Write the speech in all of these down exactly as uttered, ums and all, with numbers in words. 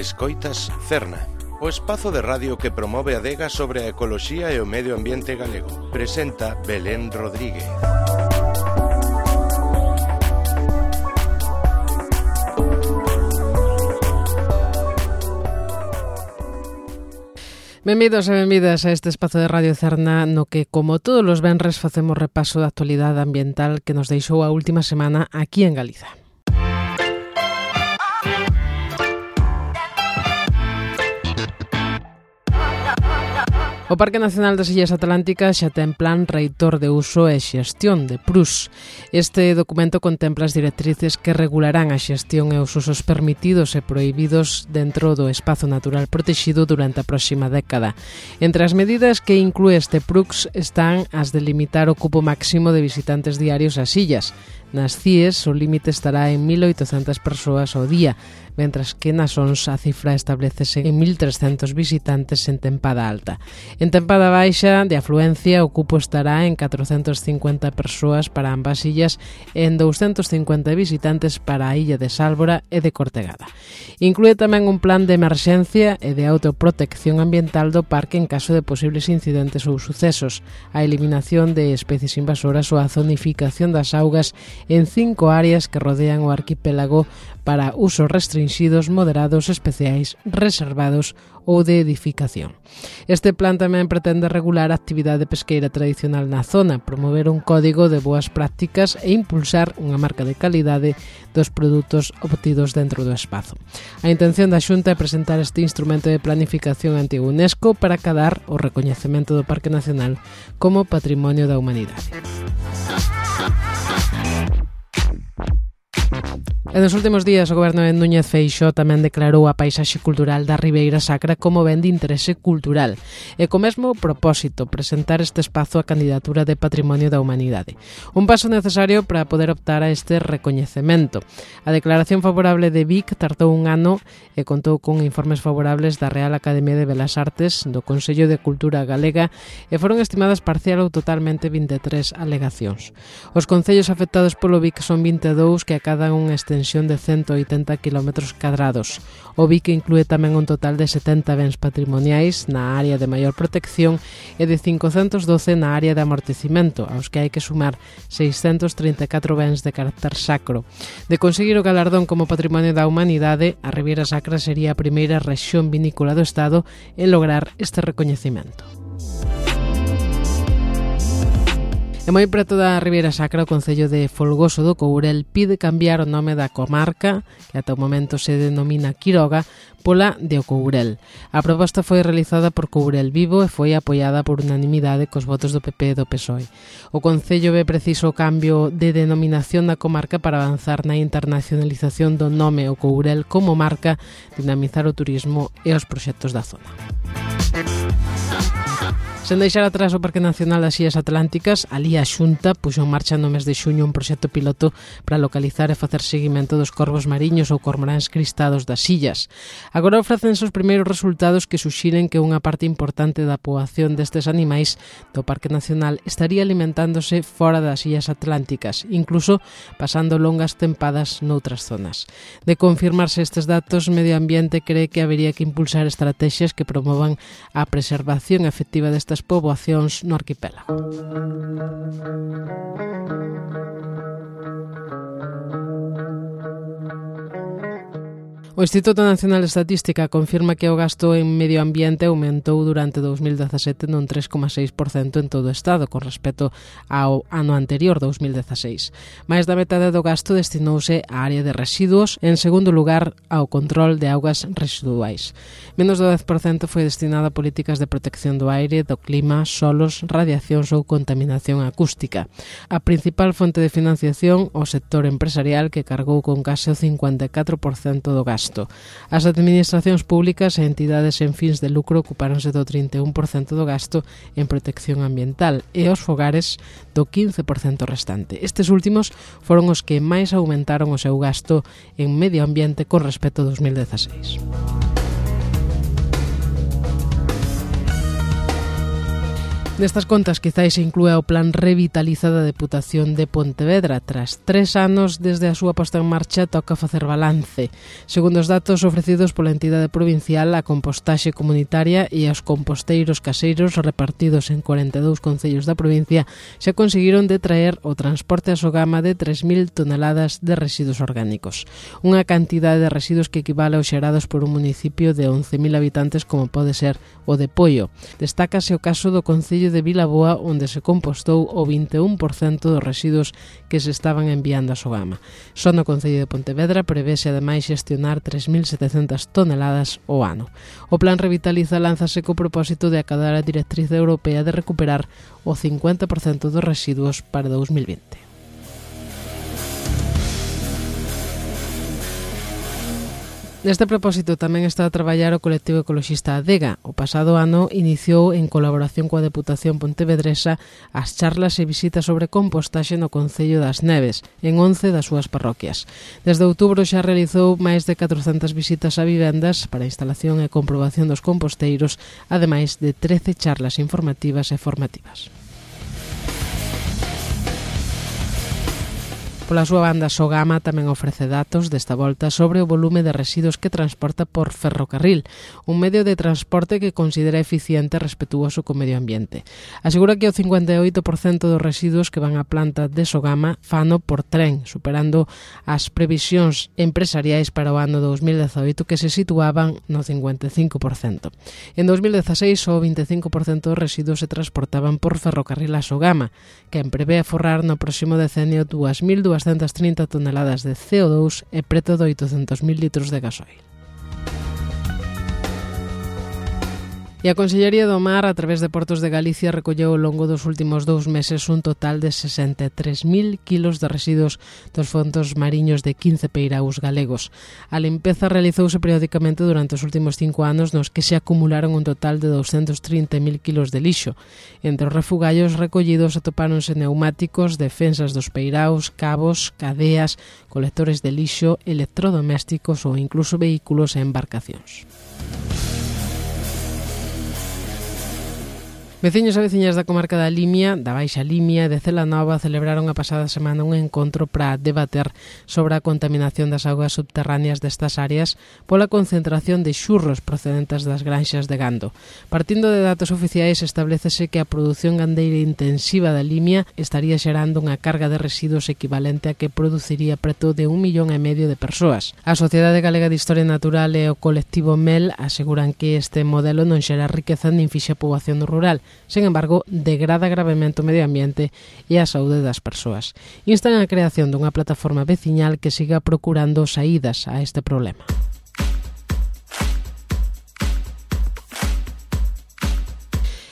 Escoitas Cerna, o espazo de radio que promove a adega sobre a ecoloxía e o medio ambiente galego. Presenta Belén Rodríguez. Benvidos e benvidas a este espazo de Radio Cerna no que, como todos os venres, facemos repaso da actualidade ambiental que nos deixou a última semana aquí en Galiza. O Parque Nacional das Illas Atlánticas xa ten plan reitor de uso e xestión de P R U S. Este documento contempla as directrices que regularán a xestión e os usos permitidos e prohibidos dentro do espazo natural protegido durante a próxima década. Entre as medidas que inclúe este P R U S están as de limitar o cupo máximo de visitantes diarios ás illas. Nas C I Es o límite estará en mil oitocentas persoas ao día, mentras que nas O N S a cifra establecese en mil trescentos visitantes en tempada alta. En tempada baixa de afluencia o cupo estará en catrocentas cincuenta persoas para ambas illas e en douscentos cincuenta visitantes para a illa de Sálvora e de Cortegada. Inclúe tamén un plan de emerxencia e de autoprotección ambiental do parque en caso de posibles incidentes ou sucesos, a eliminación de especies invasoras ou a zonificación das augas en cinco áreas que rodean o arquipélago para usos restringidos, moderados, especiais, reservados ou de edificación. Este plan tamén pretende regular a actividade pesqueira tradicional na zona, promover un código de boas prácticas e impulsar unha marca de calidade dos produtos obtidos dentro do espazo. A intención da Xunta é presentar este instrumento de planificación ante a UNESCO para acadar o recoñecemento do Parque Nacional como Patrimonio da Humanidade. E nos últimos días o Goberno de Núñez Feixóo tamén declarou a paisaxe cultural da Ribeira Sacra como ben de interese cultural e co mesmo propósito presentar este espazo a candidatura de Patrimonio da Humanidade. Un paso necesario para poder optar a este recoñecemento. A declaración favorable de Vic tardou un ano e contou con informes favorables da Real Academia de Belas Artes, do Consello de Cultura Galega e foron estimadas parcial ou totalmente vinte e tres alegacións. Os concellos afectados polo Vic son vinte e dous que acadan unha extensión de cento oitenta kilómetros cadrados. O Vic inclúe tamén un total de setenta bens patrimoniais na área de maior protección e de cincocentos doce na área de amortecimento, aos que hai que sumar seiscentos trinta e catro bens de carácter sacro. De conseguir o galardón como Patrimonio da Humanidade, a Ribeira Sacra sería a primeira rexión vinícola do Estado en lograr este recoñecemento. E moi preto da Ribeira Sacra, o Concello de Folgoso do Courel pide cambiar o nome da comarca, que ata o momento se denomina Quiroga, pola de O Courel. A proposta foi realizada por Courel Vivo e foi apoiada por unanimidade cos votos do P P e do P S O E. O Concello ve preciso o cambio de denominación da comarca para avanzar na internacionalización do nome O Courel como marca, dinamizar o turismo e os proxectos da zona. Sen deixar atrás o Parque Nacional das Illas Atlánticas, alí a Xunta puxo en marcha no mes de xuño un proxecto piloto para localizar e facer seguimento dos corvos mariños ou cormoráns cristados das illas. Agora ofrecense os primeiros resultados que suxiren que unha parte importante da poboación destes animais do Parque Nacional estaría alimentándose fora das Illas Atlánticas, incluso pasando longas tempadas noutras zonas. De confirmarse estes datos, Medio Ambiente cree que habería que impulsar estrategias que promovan a preservación efectiva destas poboacións no arquipélago. O Instituto Nacional de Estatística confirma que o gasto en medio ambiente aumentou durante dous mil dezasete nun tres coma seis por cento en todo o Estado con respecto ao ano anterior, dous mil dezaseis. Mais da metade do gasto destinouse á área de residuos, en segundo lugar ao control de augas residuais. Menos do dez por cento foi destinado a políticas de protección do aire, do clima, solos, radiacións ou contaminación acústica. A principal fonte de financiación, o sector empresarial, que cargou con case o cincuenta e catro por cento do gasto. As administracións públicas e entidades en fins de lucro ocupáronse do trinta e un por cento do gasto en protección ambiental e os fogares do quince por cento restante. Estes últimos foron os que máis aumentaron o seu gasto en medio ambiente con respecto a dous mil dezaseis. Nestas contas quizáis se inclúe o plan Revitaliza da Deputación de Pontevedra. Tras tres anos desde a súa posta en marcha, toca facer balance. Segundo os datos ofrecidos pola entidade provincial, a compostaxe comunitaria e os composteiros caseiros repartidos en cuarenta e dous concellos da provincia xa conseguiron detraer o transporte a Sogama de tres mil toneladas de residuos orgánicos. Unha cantidade de residuos que equivale aos xerados por un municipio de once mil habitantes como pode ser o de Poio. Destácase o caso do concello de Vilaboa, onde se compostou o vinte e un por cento dos residuos que se estaban enviando a Sogama. Só no concello de Pontevedra prevese ademais xestionar tres mil setecentas toneladas ao ano. O plan Revitaliza lánzase co propósito de acadar a directriz europea de recuperar o cincuenta por cento dos residuos para dous mil vinte. Neste propósito tamén está a traballar o colectivo ecoloxista Adega. O pasado ano iniciou, en colaboración coa Deputación Pontevedresa, as charlas e visitas sobre compostaxe no Concello das Neves, en once das súas parroquias. Desde outubro xa realizou máis de catrocentas visitas a vivendas para a instalación e comprobación dos composteiros, ademais de trece charlas informativas e formativas. Pola súa banda, Sogama tamén ofrece datos desta volta sobre o volume de residuos que transporta por ferrocarril, un medio de transporte que considera eficiente e respetuoso co medio ambiente. Asegura que o cincuenta e oito por cento dos residuos que van á planta de Sogama fano por tren, superando as previsións empresariais para o ano dous mil dezaoito que se situaban no cincuenta e cinco por cento. En dous mil dezaseis, o vinte e cinco por cento dos residuos se transportaban por ferrocarril a Sogama, que prevé aforrar no próximo decenio dúas mil duascentas trinta toneladas de C O dous e preto de oitocentos mil litros de gasoil. E a Consellería do Mar, a través de Portos de Galicia, recolleu ao longo dos últimos dous meses un total de sesenta e tres mil kilos de residuos dos fondos mariños de quince peiraus galegos. A limpeza realizouse periódicamente durante os últimos cinco anos, nos que se acumularon un total de douscentos trinta mil kilos de lixo. Entre os refugallos recollidos atopáronse neumáticos, defensas dos peiraus, cabos, cadeas, colectores de lixo, electrodomésticos ou incluso vehículos e embarcacións. Veciños e veciñas da comarca da Limia, da Baixa Limia e de Celanova celebraron a pasada semana un encontro para debater sobre a contaminación das augas subterráneas destas áreas pola concentración de xurros procedentes das granxas de gando. Partindo de datos oficiais, establecese que a produción gandeira intensiva da Limia estaría xerando unha carga de residuos equivalente a que produciría preto de un millón e medio de persoas. A Sociedade Galega de Historia Natural e o colectivo MEL aseguran que este modelo non xera riqueza nin fixa poboación rural. Sen embargo, degrada gravemente o medio ambiente e a saúde das persoas. Instan a creación dunha plataforma veciñal que siga procurando saídas a este problema.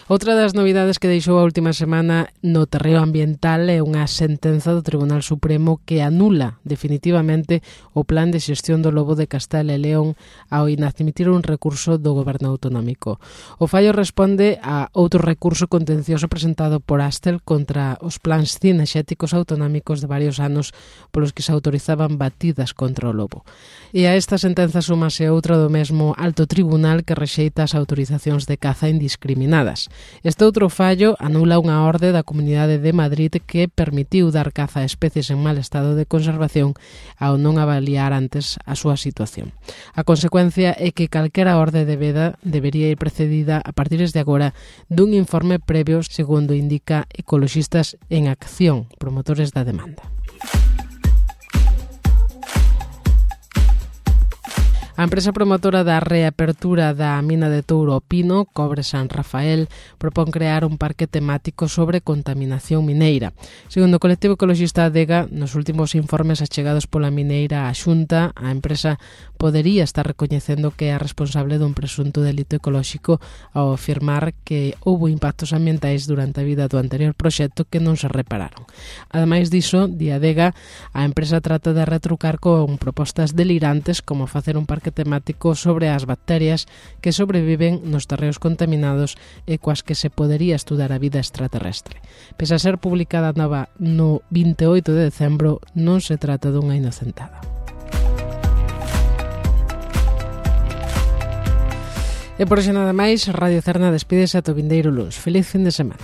Outra das novidades que deixou a última semana no terreo ambiental é unha sentenza do Tribunal Supremo que anula definitivamente o plan de xestión do lobo de Castela e León ao inadmitir un recurso do Goberno autonómico. O fallo responde a outro recurso contencioso presentado por Astel contra os plans cinexéticos autonómicos de varios anos polos que se autorizaban batidas contra o lobo. E a esta sentenza súmase outra do mesmo alto tribunal que rexeita as autorizacións de caza indiscriminadas. Este outro fallo anula unha orde da Comunidade de Madrid que permitiu dar caza a especies en mal estado de conservación ao non avaliar antes a súa situación. A consecuencia é que calquera orde de veda debería ir precedida a partir de agora dun informe previo, segundo indica Ecoloxistas en Acción, promotores da demanda. A empresa promotora da reapertura da mina de Touro Pino, Cobre San Rafael, propón crear un parque temático sobre contaminación mineira. Segundo o colectivo ecoloxista Adega, nos últimos informes achegados pola mineira á Xunta, a empresa podería estar recoñecendo que é responsable dun presunto delito ecolóxico ao afirmar que houbo impactos ambientais durante a vida do anterior proxecto que non se repararon. Ademais diso, di Adega, a empresa trata de retrucar con propostas delirantes como facer un parque temático sobre as bacterias que sobreviven nos terreos contaminados e coas que se podería estudar a vida extraterrestre. Pese a ser publicada nova no vinte e oito de decembro, non se trata dunha inocentada. E por hoxe nada máis, Radio Cerna despídese ata o vindeiro luns. Feliz fin de semana.